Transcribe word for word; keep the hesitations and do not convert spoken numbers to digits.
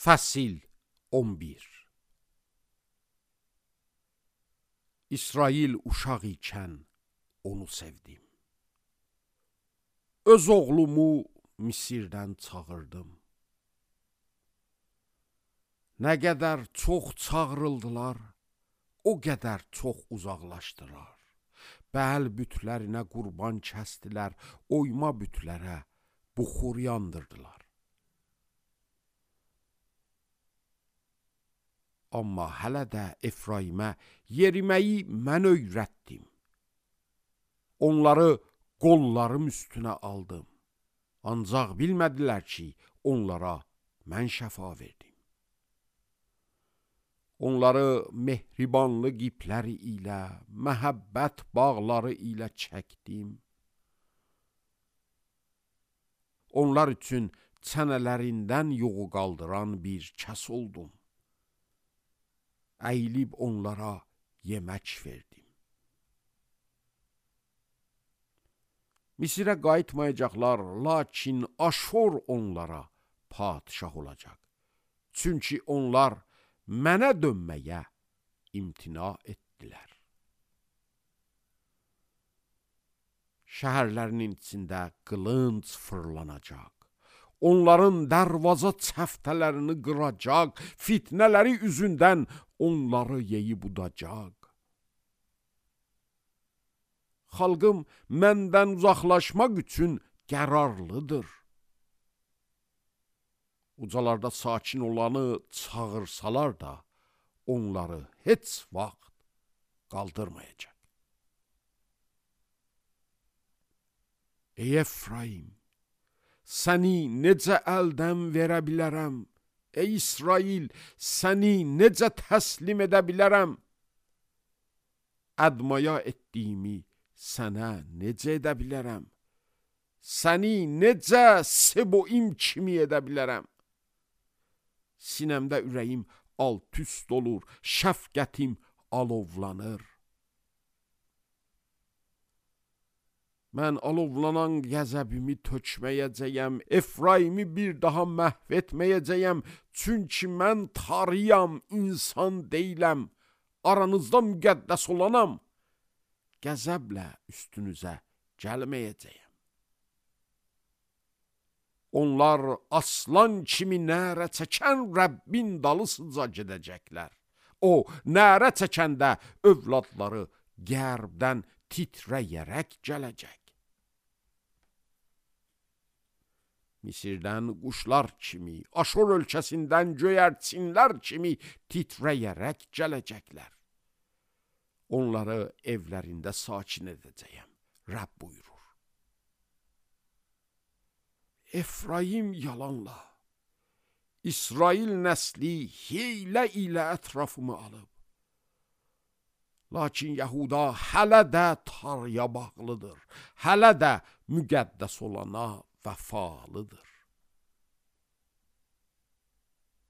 Fəsil on bir. İsrail uşaq ikən onu sevdim. Öz oğlumu Misirdən çağırdım. Nə qədər çox çağırıldılar, o qədər çox uzaqlaşdılar. Bəl bütlərinə qurban kəstdilər, oyma bütlərə buxur yandırdılar. Amma hələ də Efraimə yeriməyi mən öyrətdim. Onları qollarım üstünə aldım. Ancaq bilmədilər ki, onlara mən şəfa verdim. Onları mehribanlıq ipləri ilə, məhəbbət bağları ilə çəkdim. Onlar üçün çənələrindən yoğu qaldıran bir kəs oldum. Əyilib onlara yemək verdim. Misirə qayıtmayacaqlar, lakin Aşur onlara padişah olacaq. Çünki onlar mənə dönməyə imtina etdilər. Şəhərlərinin içində qılınc fırlanacaq. Onların dərvaza çəftələrini qıracaq, fitnələri üzündən onları yeyib udacaq. Xalqım məndən uzaqlaşmaq üçün qərarlıdır. Ucalarda sakin olanı çağırsalar da, onları heç vaxt qaldırmayacaq. Ey Efraim, səni necə əldən verə bilərəm? Ey İsrail, səni necə təslim edə bilərəm? Ədmaya etdiyimi sənə necə edə bilərəm? Səni necə Seboim kimi edə bilərəm? Sinəmdə ürəyim alt-üst olur, şəfqətim alovlanır. Mən alovlanan qəzəbimi tökməyəcəyəm, Efraimi bir daha məhv etməyəcəyəm, çünki mən tarıyam, insan deyiləm, aranızda müqəddəs olanam, qəzəblə üstünüzə gəlməyəcəyəm. Onlar aslan kimi nərə çəkən Rəbbin dalısıca gedəcəklər. O, nərə çəkəndə övladları qərbdən titrəyərək gələcək. Misirdən quşlar kimi, Aşur ölkəsindən göyərçinlər kimi titrəyərək gələcəklər. Onları evlərində sakin edəcəyəm, Rəbb buyurur. Efraim yalanla, İsrail nəsli hiylə ilə ətrafımı alıb. Lakin Yahuda hələ də tarıya bağlıdır, hələ də müqəddəs olana vəfalıdır.